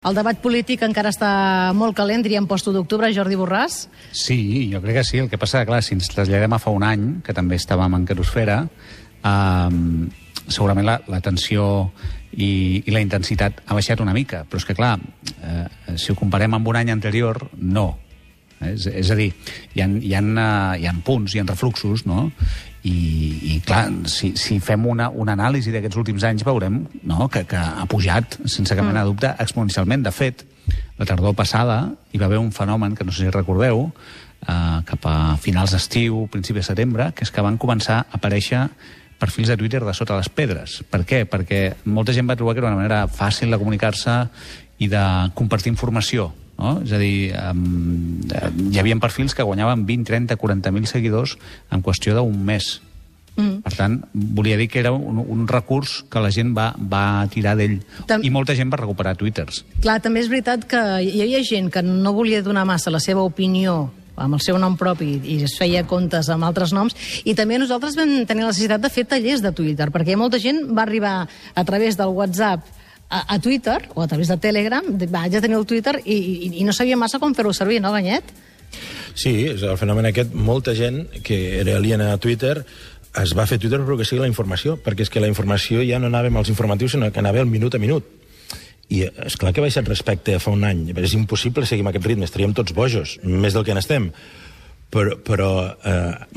El debat polític encara està molt calent, diríem post-1 d'octubre, Jordi Borràs? Sí, jo crec que sí. El que passa, clar, si ens traslladem a fa un any, que també estàvem en Querosfera, segurament la tensió i la intensitat ha baixat una mica. Però és que, clar, si ho comparem amb un any anterior, no. És a dir, hi ha punts, hi ha refluxos, no? I clar, si fem una anàlisi d'aquests últims anys veurem que ha pujat, sense cap mena de dubte, exponencialment. De fet, la tardor passada hi va haver un fenomen que no sé si recordeu, cap a finals d'estiu, principi de setembre, que és que van començar a aparèixer perfils de Twitter de sota les pedres. Per què? Perquè molta gent va trobar que era una manera fàcil de comunicar-se i de compartir informació. No? És a dir, hi havia perfils que guanyaven 20, 30, 40.000 seguidors en qüestió d'un mes. Per tant, volia dir que era un recurs que la gent va tirar d'ell. I molta gent va recuperar Twitters. Clar, també és veritat que hi havia gent que no volia donar massa la seva opinió amb el seu nom propi i es feia comptes amb altres noms, i també nosaltres vam tenir la necessitat de fer tallers de Twitter, perquè molta gent va arribar a través del WhatsApp a Twitter, o a través de Telegram, vaig a tenir el Twitter i no sabia massa com fer-ho servir, no, Ganyet? Sí, és el fenomen aquest. Molta gent que era aliena a Twitter es va fer Twitter però que sigui la informació, perquè és que la informació ja no anava amb els informatius, sinó que anava al minut a minut. I és clar que ha baixat respecte a fa un any. És impossible seguir amb aquest ritme, estaríem tots bojos, més del que n'estem. Però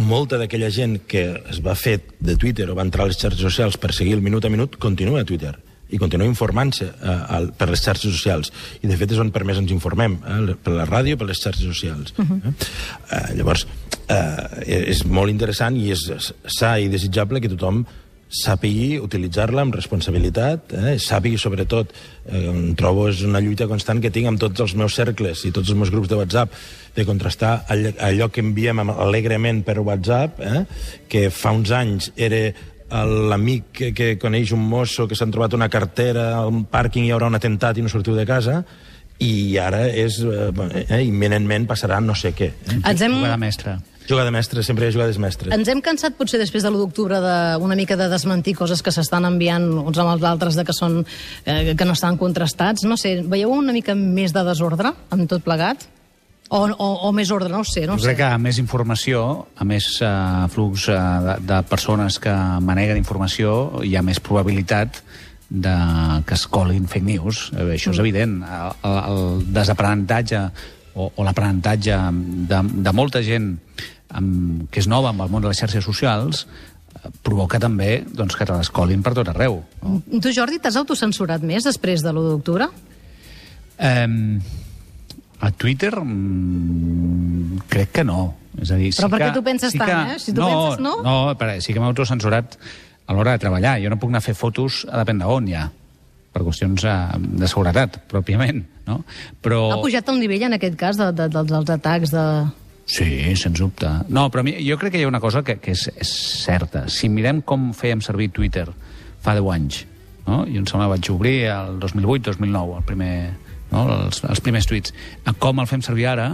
molta d'aquella gent que es va fer de Twitter o va entrar a les xarxes socials per seguir el minut a minut continua a Twitter i continua informant-se per les xarxes socials. I, de fet, és on per més ens informem, per la ràdio i per les xarxes socials. Llavors, és molt interessant i és sa i desitjable que tothom sàpigui utilitzar-la amb responsabilitat, sàpigui, sobretot, trobo és una lluita constant que tinc amb tots els meus cercles i tots els meus grups de WhatsApp, de contrastar allò que enviem alegrement per WhatsApp, que fa uns anys era l'amic que coneix un mosso que s'han trobat una cartera a un pàrquing i hi haurà un atemptat i no sortiu de casa, i ara és imminentment passarà no sé què. Jugada mestra. Jugada mestra, sempre hi ha jugades mestres. Ens hem cansat potser després de l'1 d'octubre una mica de desmentir coses que s'estan enviant uns amb els altres que no estan contrastats. No sé, veieu una mica més de desordre amb tot plegat? O més ordre, no ho sé. Jo crec que a més informació, a més flux de persones que maneguen informació, hi ha més probabilitat que es colin fake news. Això és evident. El desaprenentatge o l'aprenentatge de molta gent que és nova amb el món de les xarxes socials provoca també que te les colin per tot arreu. Tu, Jordi, t'has autocensurat més després de l'1 d'octubre? A Twitter crec que no. És a dir, però per què tu penses tant, Si tu penses no? No, sí que m'he autocensurat a l'hora de treballar. Jo no puc anar a fer fotos a depèn d'on ja, per qüestions de seguretat, pròpiament. No? Però... Ha pujat el nivell, en aquest cas, dels atacs de... Sí, sens dubte. No, però jo crec que hi ha una cosa que és certa. Si mirem com fèiem servir Twitter fa 10 anys, no? Jo em sembla que vaig obrir el 2008-2009, els primers tuits. Com el fem servir ara,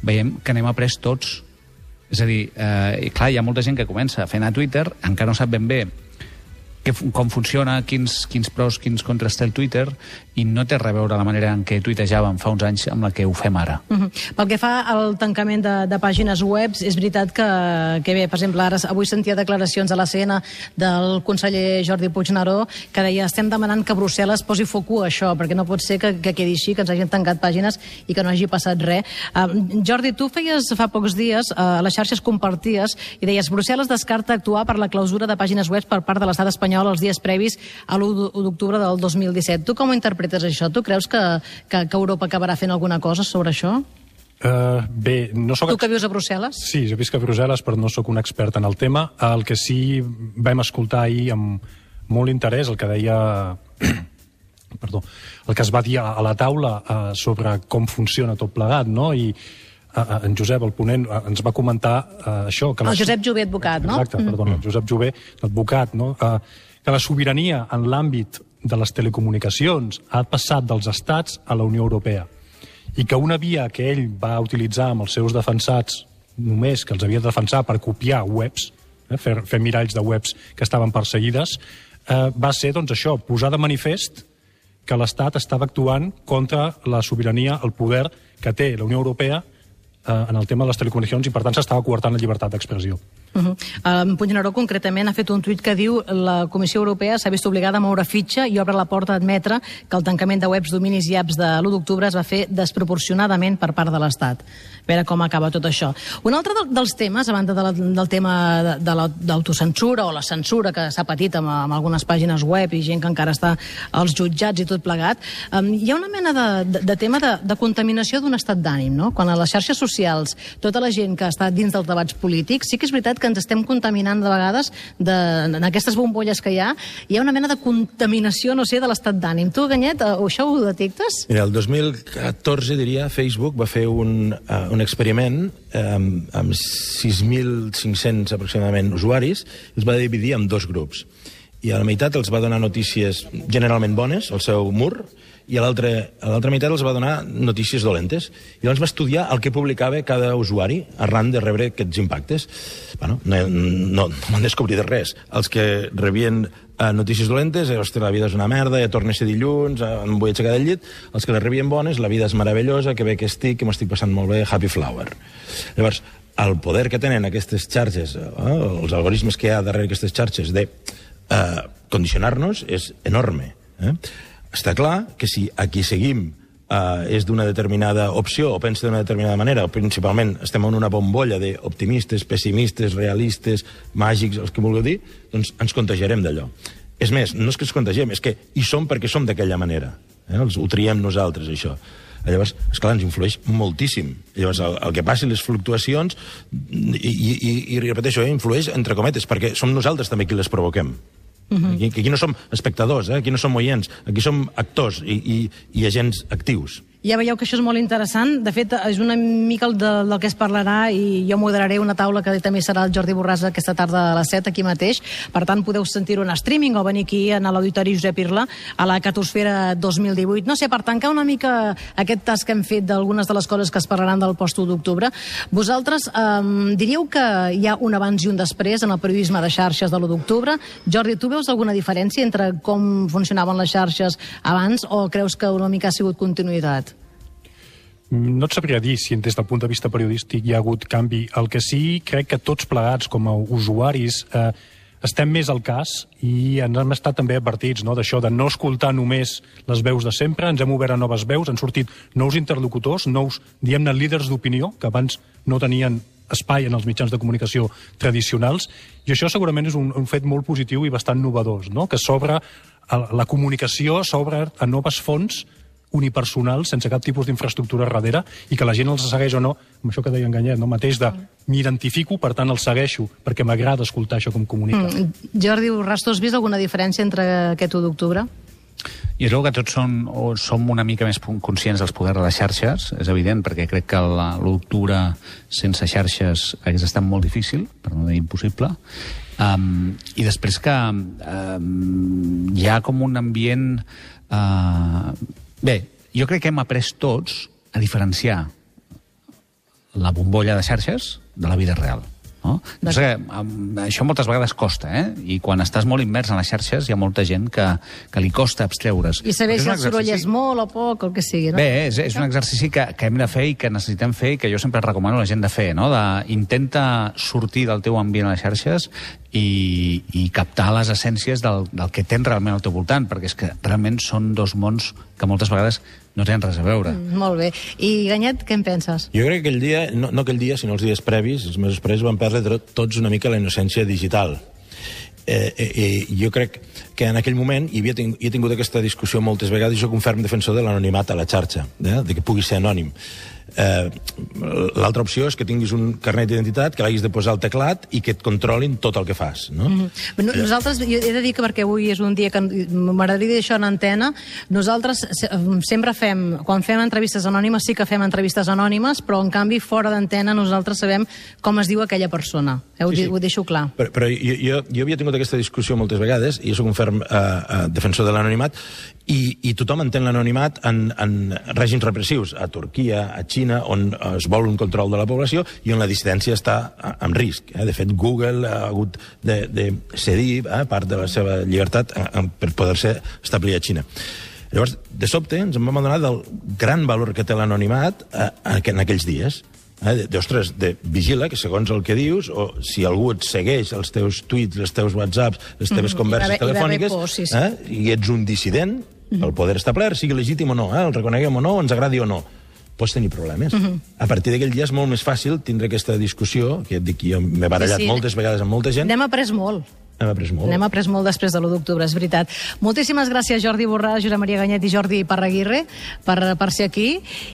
veiem que n'hem après tots. És a dir, clar, hi ha molta gent que comença a fer anar a Twitter, encara no sap ben bé com funciona, quins pros, quins contras té el Twitter, i no té res a veure la manera en què tuitejàvem fa uns anys amb la que ho fem ara. Pel que fa al tancament de pàgines web, és veritat que bé, per exemple, avui sentia declaracions a l'ACN del conseller Jordi Puigneró que deia, estem demanant que Brussel·les posi foc a això, perquè no pot ser que quedi així, que ens hagin tancat pàgines i que no hagi passat res. Jordi, tu feies fa pocs dies, a les xarxes comparties, i deies, Brussel·les descarta actuar per la clausura de pàgines web per part de l'estat espanyol els dies previs a l'1 d'octubre del 2017. Tu com ho interpretes això? Tu creus que Europa acabarà fent alguna cosa sobre això? Bé, no soc... Tu que vius a Brussel·les? Sí, jo visc a Brussel·les, però no sóc un expert en el tema. El que sí vam escoltar ahir amb molt interès, el que deia... Perdó, el que es va dir a la taula sobre com funciona tot plegat, no? I en Josep, el ponent, ens va comentar això. El Josep Jové, advocat, no? Exacte, perdona, el Josep Jové, advocat, no? Que la sobirania en l'àmbit de les telecomunicacions ha passat dels estats a la Unió Europea i que una via que ell va utilitzar amb els seus defensats, només que els havia de defensar per copiar webs, fer miralls de webs que estaven perseguides, va ser, doncs, això, posar de manifest que l'Estat estava actuant contra la sobirania, el poder que té la Unió Europea en el tema de les telecomunicacions i, per tant, s'estava coartant la llibertat d'expressió. Puigneró, concretament, ha fet un tuit que diu la Comissió Europea s'ha vist obligada a moure fitxa i obre la porta a admetre que el tancament de webs, dominis i apps de l'1 d'octubre es va fer desproporcionadament per part de l'Estat. A veure com acaba tot això. Un altre dels temes, a banda del tema de l'autocensura o la censura que s'ha patit amb algunes pàgines web i gent que encara està als jutjats i tot plegat, hi ha una mena de tema de contaminació d'un estat d'ànim, no? Quan a les xarxes socials tota la gent que està dins dels debats polítics, sí que és veritat que ens estem contaminant de vegades en aquestes bombolles que hi ha una mena de contaminació, no sé, de l'estat d'ànim. Tu, Ganyet, això ho detectes? Mira, el 2014, diria, Facebook va fer un experiment amb 6.500 aproximadament usuaris, els va dividir en dos grups. I a la meitat els va donar notícies generalment bones, al seu mur, i a l'altra meitat els va donar notícies dolentes. I llavors va estudiar el que publicava cada usuari arran de rebre aquests impactes. Bueno, no van descobrir res. Els que rebien notícies dolentes, ostres, la vida és una merda, ja torna a ser dilluns, em vull aixecar del llit. Els que les rebien bones, la vida és meravellosa, que bé que m'ho estic passant molt bé, happy flower. Llavors, el poder que tenen aquestes xarxes, els algoritmes que hi ha darrere aquestes xarxes de condicionar-nos és enorme. Està clar que si aquí seguim és d'una determinada opció o pensa d'una determinada manera, o principalment estem en una bombolla d'optimistes, pessimistes, realistes, màgics, els que vulgueu dir, doncs ens contagiarem d'allò. És més, no és que ens contagiem, és que hi som perquè som d'aquella manera. Ho triem nosaltres, això. Llavors, esclar, ens influeix moltíssim. Llavors, el que passi, les fluctuacions, i repeteixo, influeix entre cometes, perquè som nosaltres també qui les provoquem. Aquí no som espectadors, aquí no som oients, aquí som actors i agents actius. Ja veieu que això és molt interessant. De fet, és una mica del que es parlarà i jo moderaré una taula que també serà el Jordi Borràs aquesta tarda a les 7 aquí mateix. Per tant, podeu sentir-ho en streaming o venir aquí a l'Auditori Josep Irla a la Catosfera 2018. No sé, per tancar una mica aquest tas que hem fet d'algunes de les coses que es parlaran del post-1 d'octubre, vosaltres diríeu que hi ha un abans i un després en el periodisme de xarxes de l'1 d'octubre. Jordi, tu veus alguna diferència entre com funcionaven les xarxes abans o creus que una mica ha sigut continuïtat? No et sabria dir si des del punt de vista periodístic hi ha hagut canvi. El que sí, crec que tots plegats com a usuaris estem més al cas i ens hem estat també advertits d'això, de no escoltar només les veus de sempre, ens hem obert a noves veus, han sortit nous interlocutors, nous, diguem-ne, líders d'opinió, que abans no tenien espai en els mitjans de comunicació tradicionals, i això segurament és un fet molt positiu i bastant novedós, que s'obre la comunicació, s'obre a noves fonts unipersonals, sense cap tipus d'infraestructura darrere, i que la gent els segueix o no, amb això que deia en Ganyet, mateix de m'identifico, per tant els segueixo, perquè m'agrada escoltar això com comunica. Jordi Borràs, tu has vist alguna diferència entre aquest 1 d'octubre? Jo crec que tots som una mica més conscients dels poders de les xarxes, és evident, perquè crec que l'1 d'octubre sense xarxes hagués estat molt difícil, per no dir impossible, i després que hi ha com un ambient... Bé, jo crec que hem après tots a diferenciar la bombolla de xarxes de la vida real. No? Això moltes vegades costa, i quan estàs molt immers en les xarxes hi ha molta gent que li costa abstreure's. I saber si el soroll és molt o poc, o el que sigui, no? Bé, és un exercici que hem de fer i que necessitem fer i que jo sempre recomano a la gent de fer, intenta sortir del teu ambient a les xarxes i captar les essències del que tens realment al teu voltant, perquè és que realment són dos mons que moltes vegades no tenen res a veure. Molt bé. I, Ganyet, què en penses? Jo crec que aquell dia, no aquell dia, sinó els dies previs, els mesos previs, van perdre tots una mica la innocència digital. Jo crec que en aquell moment he tingut aquesta discussió moltes vegades i soc un ferm defensor de l'anonimat a la xarxa, de que pugui ser anònim. L'altra opció és que tinguis un carnet d'identitat, que l'hagis de posar al teclat i que et controlin tot el que fas. Nosaltres, jo he de dir que perquè avui és un dia que m'agradaria dir això en antena, nosaltres sempre quan fem entrevistes anònimes, sí que fem entrevistes anònimes, però en canvi fora d'antena nosaltres sabem com es diu aquella persona. Ho deixo clar. Però jo havia tingut aquesta discussió moltes vegades i jo soc un ferm defensor de l'anonimat i tothom entén l'anonimat en règims repressius, a Turquia, a Xina, on es vol un control de la població i on la dissidència està en risc. De fet, Google ha hagut de cedir part de la seva llibertat per poder-se establir a Xina. Llavors, de sobte, ens en vam adonar del gran valor que té l'anonimat en aquells dies. Ostres, vigila que segons el que dius, o si algú et segueix els teus tuits, els teus whatsapps, les teves converses telefòniques, i ets un dissident, el poder establert, sigui legítim o no, el reconeguem o no, ens agradi o no, pots tenir problemes. A partir d'aquell dia és molt més fàcil tindre aquesta discussió, que et dic, jo m'he barallat moltes vegades amb molta gent. N'hem après molt. N'hem après molt després de l'1 d'octubre, és veritat. Moltíssimes gràcies, Jordi Borràs, Josep Maria Ganyet i Jordi Parraguirre, per ser aquí.